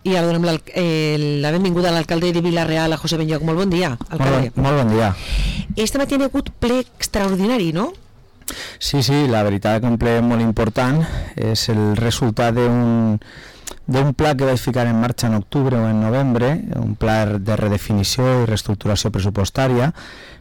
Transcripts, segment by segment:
I ara donem la benvinguda a l'alcalde de Vila-real, a José Benlloch. Molt bon dia, alcalde. Molt bon dia. Este matí ha hagut ple extraordinari, no? Sí, la veritat que un ple molt important. És el resultat d'un pla que vaig ficar en marxa en octubre o en novembre, un pla de redefinició i reestructuració pressupostària,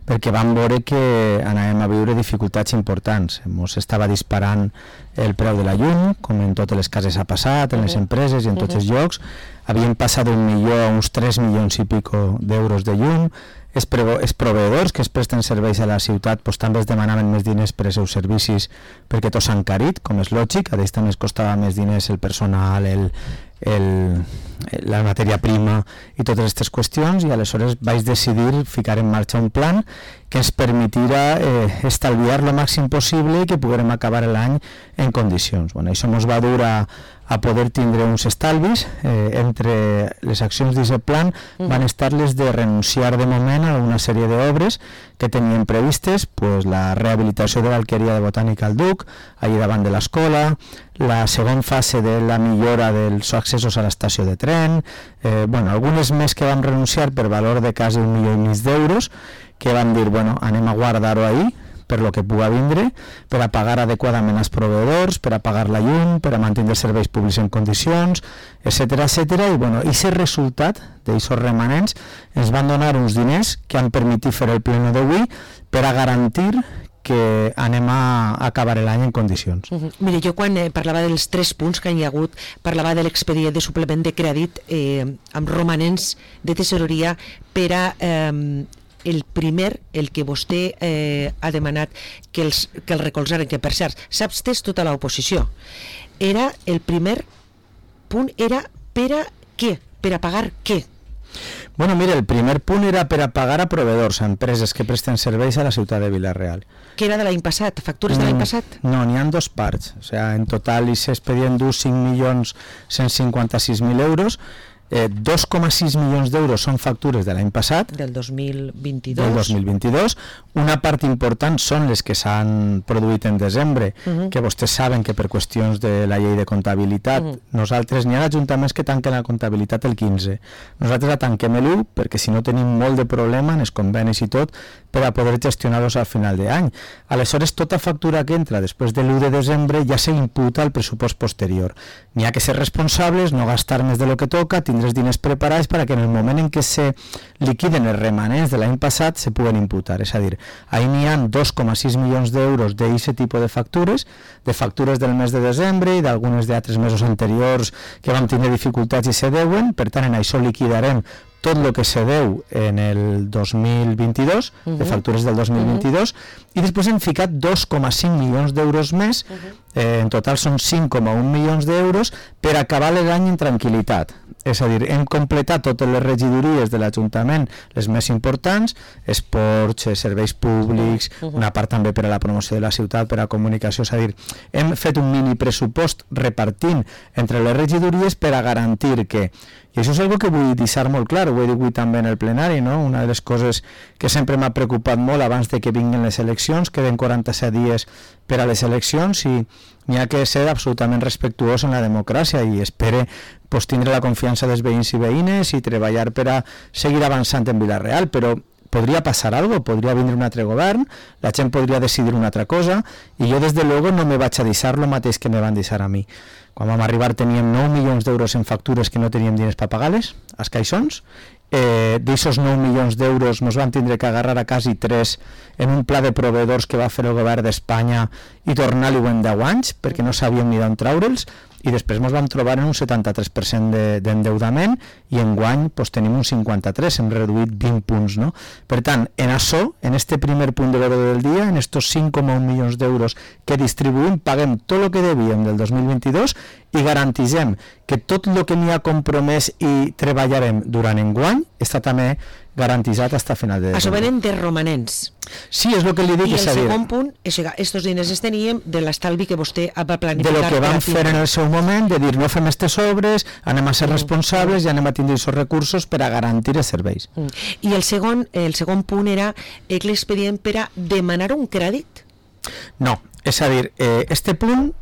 perquè vam veure que anàvem a viure dificultats importants. Ens estava disparant el preu de la llum, com en totes les cases ha passat, en les empreses i en tots els llocs. Havien passat d'un milió a uns 3 milions i pico d'euros de llum. Els proveïdors que es presten serveis a la ciutat també es demanaven més diners per als seus servicis perquè tots s'han encarit, com és lògic. A ells també es costava més diners el personal, la matèria prima i totes aquestes qüestions, i aleshores vaig decidir ficar en marxa un plan que ens permetirà estalviar el màxim possible i que puguem acabar l'any en condicions. Això ens va dur a poder tindre uns estalvis. Entre les accions d'aquest plan van estar les de renunciar de moment a una sèrie d'obres que tenien previstes, la rehabilitació de l'alqueria de Botànica al Duc, allà davant de l'escola, la segona fase de la millora dels accessos a l'estació de tren, algunes més que vam renunciar per valor de quasi 1,5 milions d'euros, que vam dir, anem a guardar-ho ahí, per lo que puga vindre, per a pagar adequadament als proveïdors, per a pagar la llum, per a mantenir els serveis públics en condicions, etcètera. I aquest resultat d'aquests remanents ens van donar uns diners que han permès fer el pleno d'avui per a garantir que anem a acabar l'any en condicions. Mire, jo quan parlava dels 3 punts que hi ha hagut, parlava de l'expedient de suplement de crèdit amb romanents de tesoreria per a el primer, el que vostè ha demanat que el recolzaren, que per cert s'ha abstès tota l'oposició. El primer punt era per a què? Per a pagar què? Mira, el primer punt era per a pagar a proveïdors, a empreses que presten serveis a la ciutat de Vila-real. Que era de l'any passat? Factures de l'any passat? No, n'hi ha 2 parts. En total s'expedien 5.156.000 euros. 2,6 milions d'euros són factures de l'any passat, del 2022. Una part important són les que s'han produït en desembre, que vostès saben que per qüestions de la llei de comptabilitat nosaltres, n'hi ha ajuntaments que tanquen la comptabilitat el 15, nosaltres la tanquem l'1 perquè si no tenim molt de problema en els convenis i tot per a poder gestionar-los al final d'any. Aleshores tota factura que entra després de l'1 de desembre ja s'imputa al pressupost posterior. N'hi ha que ser responsables, no gastar més de lo que toca, tindre els diners preparats perquè en el moment en què se liquiden els remanents de l'any passat se puguen imputar. És a dir, ahí n'hi ha 2,6 milions d'euros d'aquest tipus de factures del mes de desembre i d'algunes d'altres mesos anteriors que vam tenir dificultats i se deuen. Per tant, en això liquidarem tot el que se deu en el 2022, de factures del 2022, i després hem ficat 2,5 milions d'euros més, en total són 5,1 milions d'euros per acabar l'any en tranquil·litat. És a dir, hem completat totes les regidories de l'Ajuntament, les més importants, esports, serveis públics, una part també per a la promoció de la ciutat, per a comunicació. És a dir, hem fet un mini pressupost repartint entre les regidories per a garantir que, i això és una cosa que vull deixar molt clar, ho he dit avui també en el plenari, no? Una de les coses que sempre m'ha preocupat molt abans de que vinguin les eleccions, queden 47 dies per a les eleccions i n'hi ha que ser absolutament respectuós en la democràcia i espero tindre la confiança dels veïns i veïnes i treballar per a seguir avançant en Vila-real, però podria passar alguna cosa, podria vindre un altre govern, la gent podria decidir una altra cosa i jo des de luego no me vaig a deixar el mateix que me van deixar a mi. Quan vam arribar teníem 9 milions d'euros en factures que no teníem diners per pagar-les, als caixons. D'aquests 9 milions d'euros ens van tindre que agarrar a quasi 3 en un pla de proveïdors que va fer el govern d'Espanya i tornar-li en 10 anys perquè no sabíem ni d'on traure'ls, i després ens vam trobar en un 73% d'endeudament i enguany tenim un 53%, hem reduït 20 punts. No? Per tant, en això, en este primer punt de l'ordre del dia, en estos 5,1 milions d'euros que distribuïm, paguem tot el que devíem del 2022 i garantisem que tot el que n'hi ha compromès i treballarem durant enguany està també garantitzat fins a final de desembre. Això venen de romanents. Sí, és el que li dic. I el segon punt, estos diners els teníem de l'estalvi que vostè va planificar. De lo que vam fer en el seu moment, de dir no fem aquestes obres, anem a ser responsables i anem a tindre aquests recursos per a garantir els serveis. I el segon punt era l'expedient per a demanar un crèdit? No, És a dir, este punt,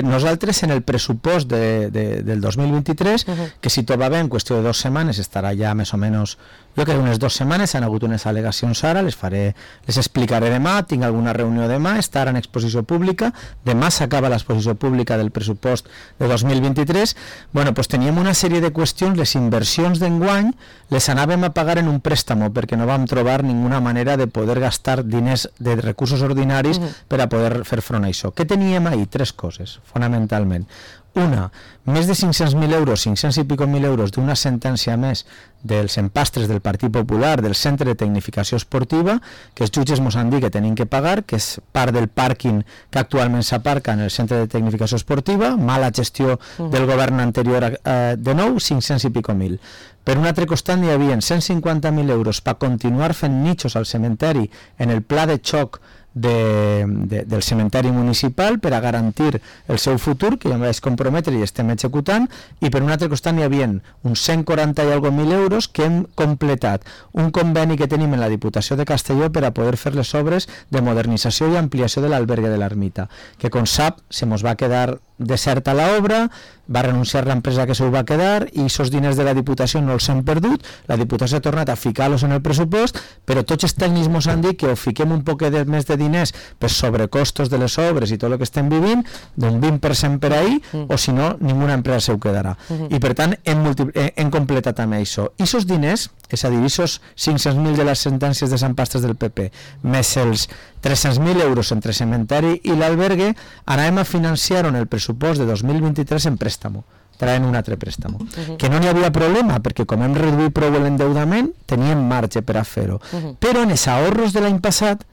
nosaltres en el pressupost del 2023, que si tot va bé, en qüestió de 2 setmanes estarà ja més o menys, jo crec unes 2 setmanes, han hagut unes al·legacions ara, les explicaré demà, tinc alguna reunió demà, estarà en exposició pública, demà s'acaba l'exposició pública del pressupost de 2023, bueno, doncs teníem una sèrie de qüestions, les inversions d'enguany les anàvem a pagar en un préstamo, perquè no vam trobar ninguna manera de poder gastar diners de recursos ordinaris per a poder fer front a això. Què teníem ahir? 3 coses, fonamentalment. Una, més de 500.000 euros, 500 i pico mil euros d'una sentència més dels empastres del Partit Popular del Centre de Tecnificació Esportiva, que els jutges mos han dit que tenim que pagar, que és part del pàrquing que actualment s'aparca en el Centre de Tecnificació Esportiva, mala gestió del govern anterior, de nou, 500 i pico mil. Per un altre costat hi havia 150.000 euros per continuar fent nichos al cementeri en el pla de xoc del cementeri municipal per a garantir el seu futur, que ja em vaig comprometre i estem executant, i per un altre costat hi havia uns 140 i algo mil euros que hem completat un conveni que tenim en la Diputació de Castelló per a poder fer les obres de modernització i ampliació de l'albergue de l'Ermita, que com sap se mos va quedar deserta l'obra, va renunciar l'empresa que se ho va quedar i aquests diners de la Diputació no els hem perdut, la Diputació ha tornat a ficar-los en el pressupost, però tots els tècnics ens han dit que o fiquem un poc més de diners per sobrecostos de les obres i tot el que estem vivint, d'un 20% per ahir, o si no, ninguna empresa se ho quedarà. I per tant hem completat amb això. I aquests diners, és a dir, aquests 500.000 de les sentències de Sant Pastres del PP, més els 300.000 euros entre cementeri i l'albergue, anàvem a financiar en el pressupost de 2023 en préstamo, traient un altre préstamo. Que no n'hi havia problema, perquè com hem reduït prou l'endeudament, teníem marge per a fer-ho. Però en els ahorros de l'any passat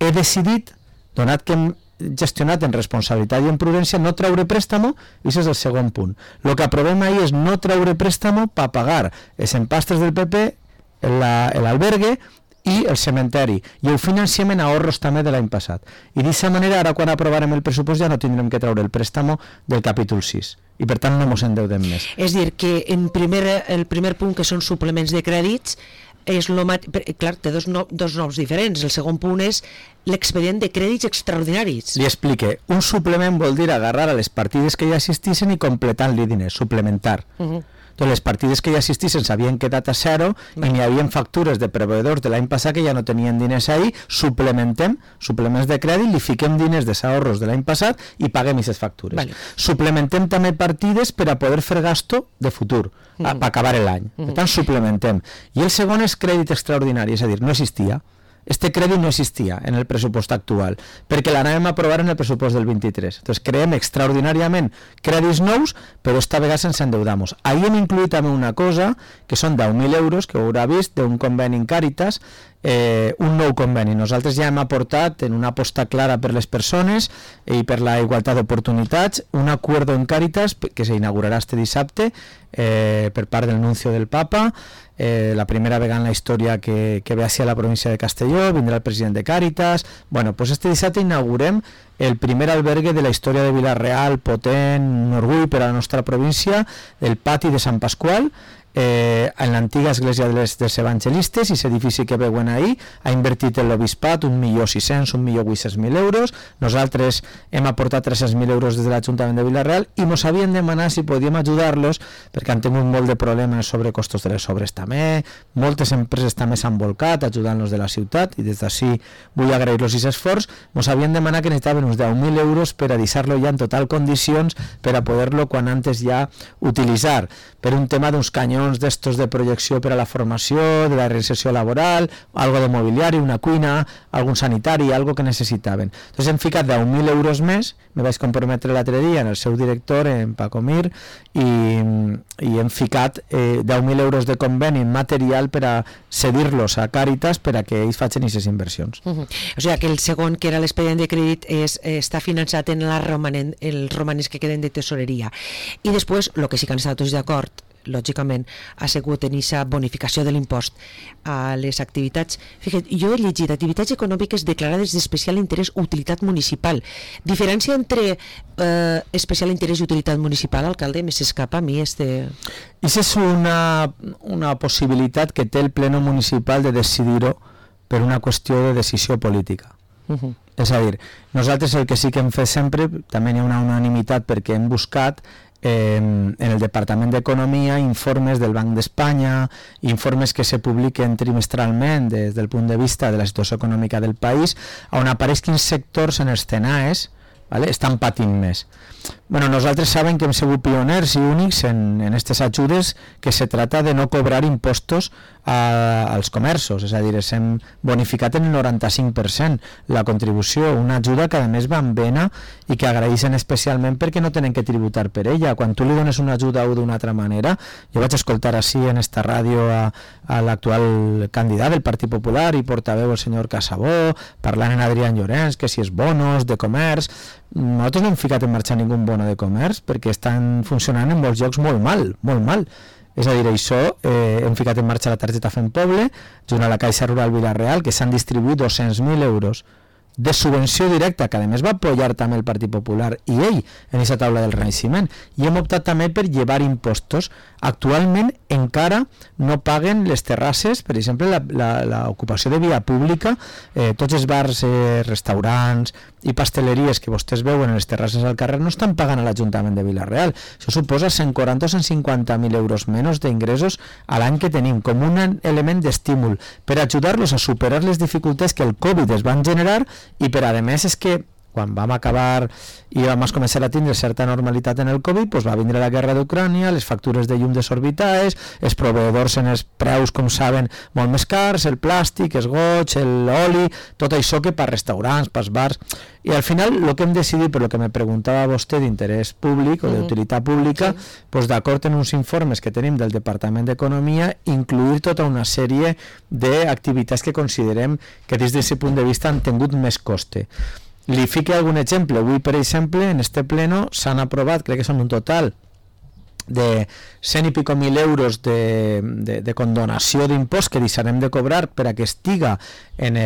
he decidit, donat que hem gestionat en responsabilitat i en prudència, no treure préstamo, i això és el segon punt. El que aprovem ahir és no treure préstamo per pagar els empastres del PP, l'albergue i el cementeri, i ho financiem en ahorros també de l'any passat. I d'aquesta manera, ara quan aprovarem el pressupost ja no tindrem que treure el préstamo del capítol 6, i per tant no mos endeudem més. És dir, que el primer punt, que són suplements de crèdits, és clar, té dos noms diferents. El segon punt és l'expedient de crèdits extraordinaris. Li explique, un suplement vol dir agarrar a les partides que ja existissin i completar-li diners, suplementar. Doncs les partides que ja existissin s'havien quedat a zero i n'hi havia factures de proveïdors de l'any passat que ja no tenien diners ahir, suplements de crèdit, li fiquem diners de ahorros de l'any passat i paguem aquestes factures. Suplementem també partides per a poder fer gasto de futur, per acabar l'any. Per tant, suplementem. I el segon és crèdit extraordinari, és a dir, no existia. Este crèdit no existia en el pressupost actual, perquè l'anàvem a aprovar en el pressupost del 23. Entonces creem extraordinàriament crèdits nous, però esta vegada sense endeudar-nos. Ahir hem incluït també una cosa, que són 10.000 euros, que ho haurà vist, d'un conveni en Càritas, un nou conveni. Nosaltres ja hem aportat en una aposta clara per les persones i per la igualtat d'oportunitats un acuerdo en Càritas que s'inaugurarà este dissabte per part del nuncio del Papa, la primera vegada en la història que ve hacia la província de Castelló, vindrà el president de Càritas. Bueno, pues este dissabte inaugurem el primer albergue de la història de Vila-real, potent, un orgull per a la nostra província, el pati de Sant Pasqual, en l'antiga església dels evangelistes, i aquest edifici que veuen ahir ha invertit en l'obispat 1.600.000, 1.800.000 euros. Nosaltres hem aportat 300.000 euros des de l'Ajuntament de Vila-real i ens havien demanat si podíem ajudar-los perquè han tingut molt de problemes sobre costos de les obres també, moltes empreses també s'han volcat ajudant-los de la ciutat i des d'ací vull agrair-los aquest esforç. Ens havien demanat que necessitaven uns 10.000 euros per a deixar-lo ja en total condicions per a poder-lo quan antes ja utilitzar, per un tema d'uns canyons d'estos de projecció per a la formació, de la reinserció laboral, algo de mobiliari, una cuina, algun sanitari, algo que necessitaven. Entonces hem ficat 10.000 euros més, me vaig comprometre l'altre dia en el seu director, en Paco Mir, i hem ficat 10.000 euros de conveni material per a cedir-los a Càritas per a que ells facin aquestes inversions. O sigui que el segon, que era l'expedient de crèdit, està finançat en els romanents que queden de tesoreria. I després, el que sí que han estat tots d'acord, lògicament, ha sigut en aquesta bonificació de l'impost a les activitats. Fíjate, jo he llegit activitats econòmiques declarades d'especial interès o utilitat municipal. Diferència entre especial interès i utilitat municipal, alcalde, me s'escapa a mi este... Això és una possibilitat que té el pleno municipal de decidir-ho per una qüestió de decisió política. És a dir, nosaltres el que sí que hem fet sempre, també hi ha una unanimitat perquè hem buscat en el Departament d'Economia informes del Banc d'Espanya, informes que se publiquen trimestralment des del punt de vista de la situació econòmica del país, on apareix quins sectors en els CNAEs estan patint més. Nosaltres sabem que hem sigut pioners i únics en aquestes ajudes, que se trata de no cobrar impostos als comerços, és a dir, hem bonificat en el 95% la contribució, una ajuda que a més va en vena i que agraeixen especialment perquè no tenen que tributar per ella. Quan tu li dones una ajuda o d'una altra manera, jo vaig escoltar així en esta ràdio a l'actual candidat del Partit Popular i portaveu el senyor Casabó, parlant en Adrián Llorens, que si és bonos de comerç. Nosaltres no hem ficat en marxa ningú bono de comerç perquè estan funcionant en molts llocs molt mal, molt mal. És a dir, això, hem ficat en marxa la targeta Fem Poble, junt a la Caixa Rural Vila-real, que s'han distribuït 200.000 euros de subvenció directa, que a més va apoyar també el Partit Popular i ell en aquesta taula del Renaixement, i hem optat també per llevar impostos. Actualment encara no paguen les terrasses, per exemple l'ocupació de via pública, tots els bars, restaurants i pasteleries que vostès veuen en les terrasses al carrer no estan pagant a l'Ajuntament de Vila-real. Això suposa 140 o 150.000 euros menys d'ingressos a l'any que tenim, com un element d'estímul per ajudar-los a superar les dificultats que el Covid es van generar. I per a més és que quan vam acabar i vam començar a tindre certa normalitat en el Covid, doncs va vindre la guerra d'Ucrània, les factures de llum desorbitades, els proveïdors en els preus, com saben, molt més cars, el plàstic, els goig, l'oli, tot això que per restaurants, per bars. I al final el que hem decidit, per el que me preguntava vostè d'interès públic o d'utilitat pública, doncs d'acord en uns informes que tenim del Departament d'Economia, incluir tota una sèrie d'activitats que considerem que des d'aquest punt de vista han tingut més coste. Li fique algun exemple. Avui, per exemple, en este pleno s'han aprovat, crec que són un total de 100 i pico mil euros de condonació d'impost que deixarem de cobrar per a que estiga en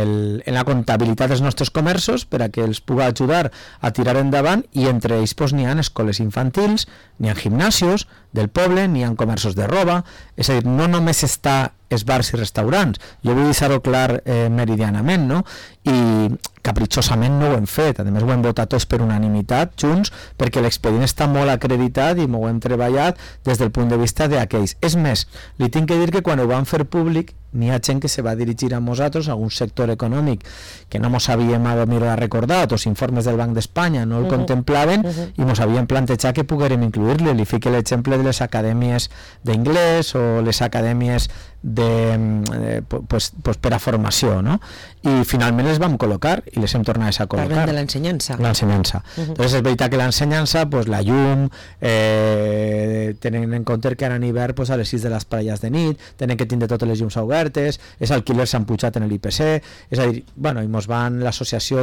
la comptabilitat dels nostres comerços, per a que els pugui ajudar a tirar endavant, i entre ells n'hi ha escoles infantils, n'hi ha gimnasios del poble, n'hi ha comerços de roba. És a dir, no només està els bars i restaurants, jo vull deixar-ho clar meridianament, no? I capritxosament no ho hem fet, a més ho hem votat tots per unanimitat junts, perquè l'expedient està molt acreditat i m'ho hem treballat des del punt de vista d'aquells. És més, li tinc que dir que quan ho van fer públic n'hi ha gent que se va dirigir a nosaltres, a un sector econòmic que no mos havíem recordat, els informes del Banc d'Espanya no el contemplaven, i mos havien plantejat que poguérem incluir-li. Li fique l'exemple de les acadèmies d'inglès o les acadèmies per a formació, no? I finalment les vam col·locar i les hem tornat a col·locar. Parlem de l'ensenyança. L'ensenyança. Entonces és veritat que l'ensenyança, la llum, tenen en compte que ara en hivern a les 6 de les parelles de nit tenen que tindre totes les llums obertes, els alquilers s'han pujat en l'IPC, és a dir, i mos van l'associació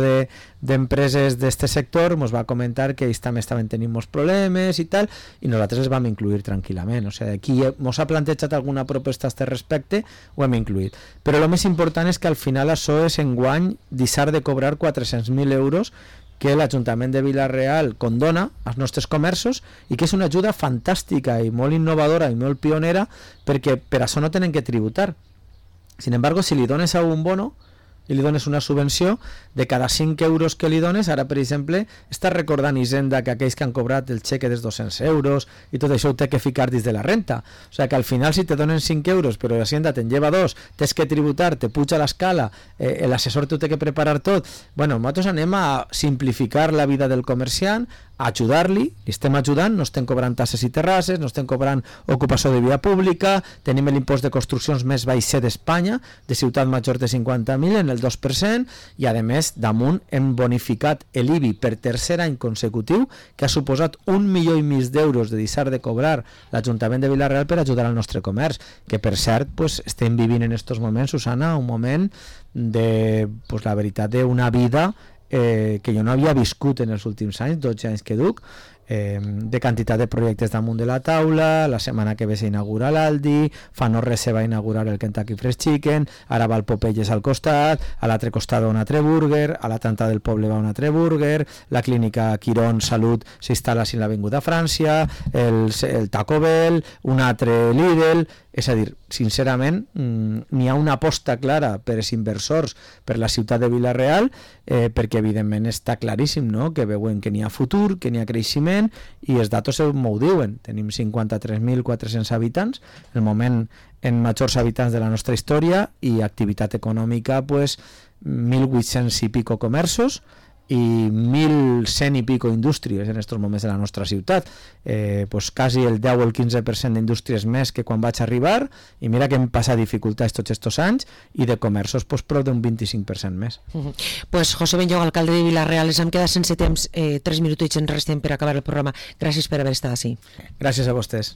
d'empreses d'este sector mos va comentar que ells també estaven tenint molts problemes i tal, i nosaltres els vam incluir tranquil·lament. O sigui, aquí mos ha plantejat alguna proposta a este respecte, ho hem incluït. Però el més important és que al final això és enguany deixar de cobrar 400.000 euros que l'Ajuntament de Vila-real condona als nostres comerços, i que és una ajuda fantàstica i molt innovadora i molt pionera, perquè per això no tenen que tributar. Sin embargo, si li dones a un bono i li dones una subvenció, de cada 5 euros que li dones, ara per exemple està recordant Hisenda que aquells que han cobrat el xeque dels 200 euros i tot això ho té que ficar dins de la renta. O sigui que al final, si te donen 5 euros però Hisenda te'n lleva 2, tens que tributar, te puja l'escala, l'assessor t'ho té que preparar tot. Nosaltres anem a simplificar la vida del comerciant, a ajudar-li, li estem ajudant, no estem cobrant tasses i terrasses, no estem cobrant ocupació de via pública, tenim l'impost de construccions més baix d'Espanya, de ciutat major de 50.000 en el 2%, i a més damunt hem bonificat l'IBI per tercer any consecutiu, que ha suposat 1,5 milió d'euros de deixar de cobrar l'Ajuntament de Vila-real per ajudar al nostre comerç, que per cert estem vivint en aquests moments, Susana, un moment de, la veritat, d'una vida que jo no havia viscut en els últims anys, 12 anys que duc, de quantitat de projectes damunt de la taula. La setmana que ve s'inaugura l'Aldi, fa no res se va inaugurar el Kentucky Fried Chicken, ara va el Popeyes al costat, a l'altre costat va un altre burger, a la Tanta del Poble va un altre burger, la clínica Quirón Salut s'instal·la a l'Avinguda Frància, el Taco Bell, un altre Lidl. És a dir, sincerament, n'hi ha una aposta clara per als inversors per la ciutat de Vila-real, perquè evidentment està claríssim, no?, que veuen que n'hi ha futur, que n'hi ha creixement, i els datos m'ho diuen. Tenim 53.400 habitants, el moment en majors habitants de la nostra història, i activitat econòmica, pues, 1.800 i pico comerços, i 1.100 i pico indústries en aquests moments de la nostra ciutat, pues quasi el 10 o el 15% d'indústries més que quan vaig arribar, i mira que hem passat dificultats tots aquests anys, i de comerços pues, prou d'un 25% més. Pues José Benlloch, alcalde de Vila-real, ens hem quedat sense temps, 3 minutets ens resten per acabar el programa. Gràcies per haver estat així. Gràcies a vostès.